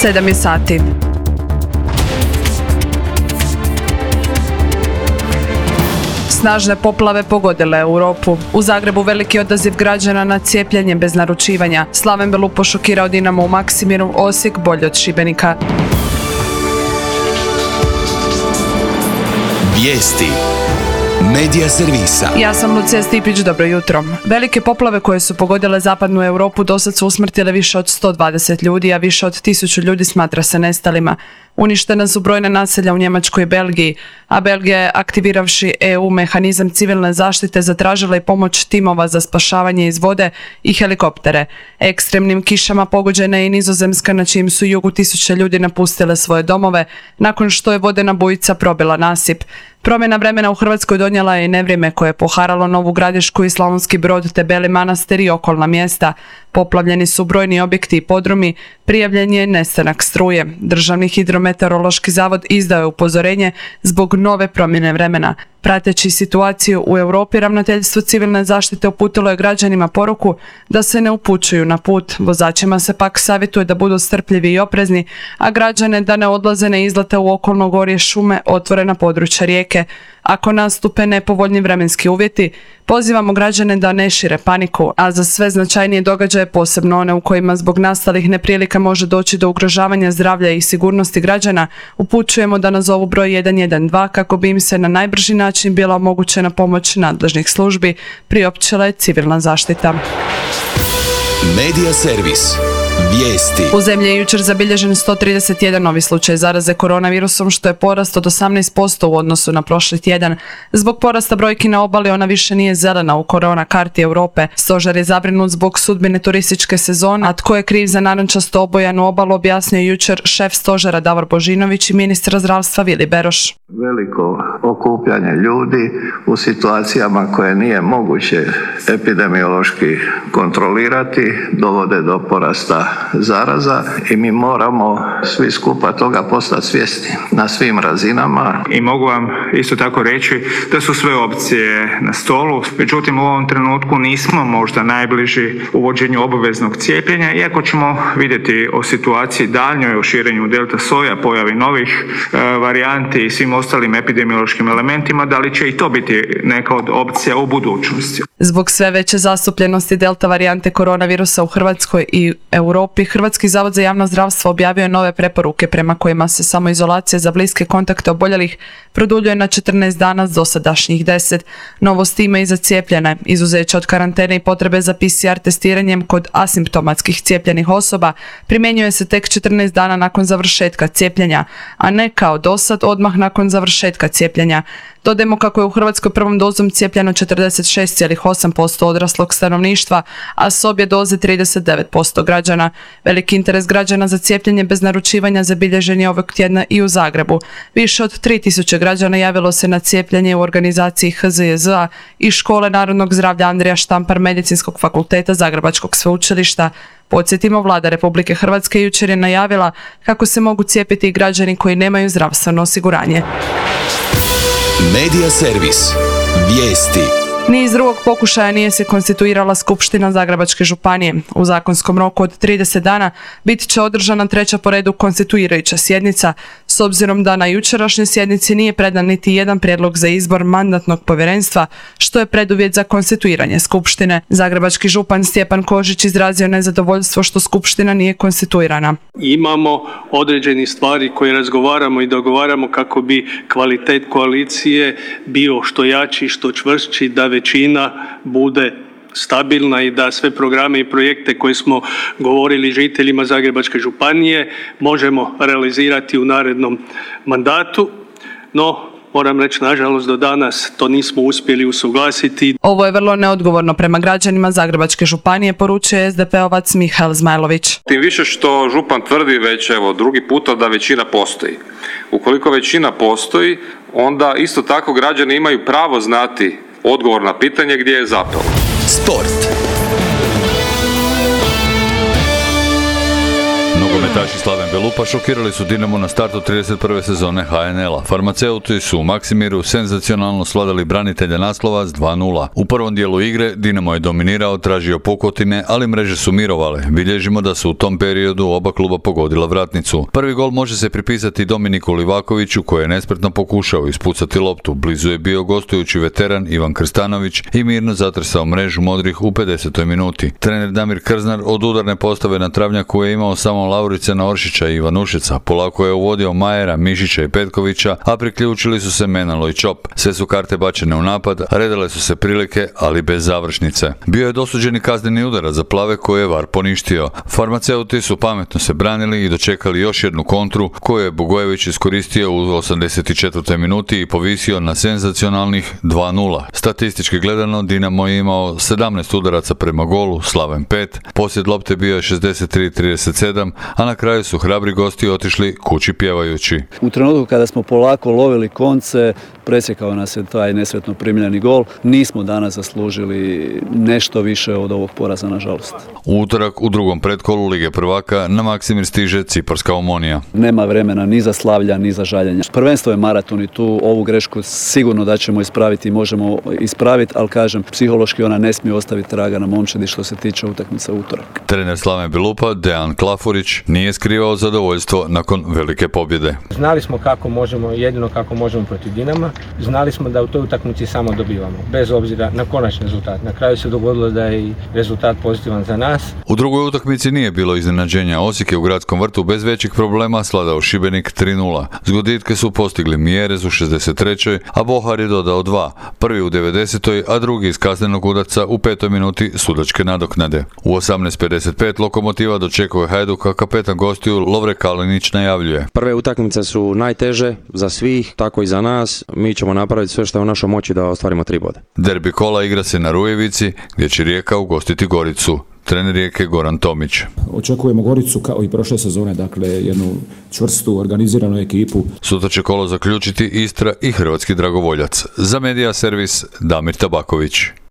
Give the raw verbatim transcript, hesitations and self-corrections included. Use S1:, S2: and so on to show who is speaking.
S1: sedam je sati. Snažne poplave pogodile Europu. U Zagrebu veliki odaziv građana na cijepljenje bez naručivanja. Slaven Belupo šokirao Dinamo u Maksimiru, Osijek bolje od Šibenika.
S2: Vijesti Medija servisa.
S1: Ja sam Lucija Stipić, dobro jutro. Velike poplave koje su pogodile zapadnu Europu dosad su usmrtile više od sto dvadeset ljudi, a više od tisuću ljudi smatra se nestalima. Uništena su brojna naselja u Njemačkoj i Belgiji, a Belgija je, aktiviravši E U mehanizam civilne zaštite, zatražila i pomoć timova za spašavanje iz vode i helikoptere. Ekstremnim kišama pogođena je i Nizozemska, na čijem su jugu tisuće ljudi napustile svoje domove nakon što je vodena bujica probila nasip. Promjena vremena u Hrvatskoj donijela je i nevrijeme koje je poharalo Novu Gradišku i Slavonski Brod te Beli Manastir i okolna mjesta. Poplavljeni su brojni objekti i podrumi, prijavljen je nestanak struje. Državni hidrometeorološki zavod izdao je upozorenje zbog nove promjene vremena. Prateći situaciju u Europi, Ravnateljstvo civilne zaštite uputilo je građanima poruku da se ne upućuju na put. Vozačima se pak savjetuje da budu strpljivi i oprezni, a građane da ne odlaze na izlete u okolno gorje, šume, otvorena područja rijeke. Ako nastupe nepovoljni vremenski uvjeti, pozivamo građane da ne šire paniku, a za sve značajnije događaje, posebno one u kojima zbog nastalih neprilika može doći do ugrožavanja zdravlja i sigurnosti građana, upućujemo da nazovu broj jedan jedan dva kako bi im se na najbrži način bila omogućena pomoć nadležnih službi, priopćila je civilna zaštita.
S2: Medija servis. Vijesti.
S1: U zemlji je jučer zabilježen sto trideset jedan novi slučaj zaraze koronavirusom, što je porast od osamnaest posto u odnosu na prošli tjedan. Zbog porasta brojki na obali ona više nije zelena u korona karti Europe. Stožer je zabrinut zbog sudbine turističke sezone, a tko je kriv za narančasto obojanu obalu objasnio jučer šef stožera Davor Božinović i ministar zdravstva Vili Beroš.
S3: Veliko okupljanje ljudi u situacijama koje nije moguće epidemiološki kontrolirati dovode do porasta zaraza i mi moramo svi skupa toga postati svjesni na svim razinama.
S4: I mogu vam isto tako reći da su sve opcije na stolu, međutim u ovom trenutku nismo možda najbliži uvođenju obaveznog cijepljenja, iako ćemo vidjeti o situaciji daljnjoj, o širenju delta soja, pojavi novih e, varijanti i svim ostalim epidemiološkim elementima, da li će i to biti neka od opcija u budućnosti.
S1: Zbog sve veće zastupljenosti delta varijante koronavirusa u Hrvatskoj i Europi, Hrvatski zavod za javno zdravstvo objavio je nove preporuke prema kojima se samoizolacija za bliske kontakte oboljelih produljuje na četrnaest dana s dosadašnjih deset. Novost ima i za cijepljene. Izuzeće od karantene i potrebe za P C R testiranjem kod asimptomatskih cijepljenih osoba primjenjuje se tek četrnaest dana nakon završetka cijepljenja, a ne kao dosad odmah nakon završetka cijepljenja. Dodajmo kako je u Hrvatskoj prvom dozom cijepljeno četrdeset šest zarez osam posto odraslog stanovništva, a s obje doze trideset devet posto građana. Veliki interes građana za cijepljenje bez naručivanja zabilježen je ovog tjedna i u Zagrebu. Više od tri tisuće građana javilo se na cijepljenje u organizaciji H Z J Z-a i Škole narodnog zdravlja Andrija Štampar Medicinskog fakulteta Zagrebačkog sveučilišta. Podsjetimo, Vlada Republike Hrvatske jučer je najavila kako se mogu cijepiti i građani koji nemaju zdravstveno osiguranje.
S2: Medija servis. Vijesti.
S1: Ni iz drugog pokušaja nije se konstituirala Skupština Zagrebačke županije. U zakonskom roku od trideset dana bit će održana treća po redu konstituirajuća sjednica, s obzirom da na jučerašnjoj sjednici nije predan niti jedan prijedlog za izbor mandatnog povjerenstva, što je preduvjet za konstituiranje Skupštine. Zagrebački župan Stjepan Kožić izrazio nezadovoljstvo što Skupština nije konstituirana.
S5: Imamo određeni stvari koje razgovaramo i dogovaramo kako bi kvalitet koalicije bio što jači, što čvršći, da većina bude stabilna i da sve programe i projekte koje smo govorili žiteljima Zagrebačke županije možemo realizirati u narednom mandatu. No, moram reći, nažalost, do danas to nismo uspjeli usuglasiti.
S1: Ovo je vrlo neodgovorno prema građanima Zagrebačke županije, poručuje S D P-ovac Mihael Zmajlović.
S6: Tim više što župan tvrdi već evo drugi puta da većina postoji. Ukoliko većina postoji, onda isto tako građani imaju pravo znati odgovor na pitanje gdje je zapelo.
S2: Sport.
S7: Nogometaši Slaven Belupa šokirali su Dinamo na startu trideset prve sezone ha en el a. Farmaceuti su u Maksimiru senzacionalno svladali branitelja naslova s dva nula. U prvom dijelu igre Dinamo je dominirao, tražio pukotine, ali mreže su mirovale. Bilježimo da su u tom periodu oba kluba pogodila vratnicu. Prvi gol može se pripisati Dominiku Livakoviću koji je nespretno pokušao ispucati loptu. Blizu je bio gostujući veteran Ivan Krstanović i mirno zatresao mrežu modrih u pedesetoj minuti. Trener Damir Krznar od udarne postave na travnjaku je imao samo Lauricena Oršića i Ivanušeca. Polako je uvodio Majera, Mišića i Petkovića, a priključili su se Menalo i Čop. Sve su karte bačene u napad, redale su se prilike, ali bez završnice. Bio je dosuđeni kazneni udarac za plave koje je var poništio. Farmaceuti su pametno se branili i dočekali još jednu kontru koju je Bogojević iskoristio u osamdeset četvrtoj minuti i povisio na senzacionalnih dva nula. Statistički gledano Dinamo je imao sedamnaest udaraca prema golu, Slaven pet, posjed lopte bio je šezdeset tri trideset sedam, a na kraju su hrabri gosti otišli kući pjevajući.
S8: U trenutku kada smo polako lovili konce, presjekao nas je taj nesretno primljeni gol. Nismo danas zaslužili nešto više od ovog poraza, nažalost.
S7: U utorak u drugom pretkolu Lige prvaka na Maksimir stiže Ciparska Omonija.
S8: Nema vremena ni za slavlja, ni za žaljenja. Prvenstvo je maraton i tu ovu grešku sigurno da ćemo ispraviti i možemo ispraviti, ali kažem, psihološki ona ne smije ostaviti traga na momčadi što se tiče utakmice u utorak.
S7: Trener Slaven Belupa, Dejan Klafurić, nije skrivao zadovoljstvo nakon velike pobjede.
S9: Znali smo kako možemo, jedino kako možemo protiv Dinama. Znali smo da u toj utakmici samo dobivamo, bez obzira na konačni rezultat. Na kraju se dogodilo da je i rezultat pozitivan za nas.
S7: U drugoj utakmici nije bilo iznenađenja. Osijek je u Gradskom vrtu bez većih problema sladao Šibenik tri nula. Zgoditke su postigli Mjerez u šezdeset trećoj, a Bohar je dodao dva. Prvi u devedesetoj, a drugi iz kaznenog udarca u petoj minuti sudačke nadoknade. U osamnaest pedeset pet Lokomotiva dočekuje Hajduka, kapetan gostiju Lovre Kalinić najavljuje.
S10: Prve utakmice su najteže za svih, tako i za nas. Mi ćemo napraviti sve što je u našoj moći da ostvarimo tri boda.
S7: Derbi kola igra se na Rujevici, gdje će Rijeka ugostiti Goricu. Trener Rijeke Goran Tomić.
S11: Očekujemo Goricu kao i prošle sezone, dakle jednu čvrstu, organiziranu ekipu.
S7: Sutra će kolo zaključiti Istra i Hrvatski Dragovoljac. Za Medija servis Damir Tabaković.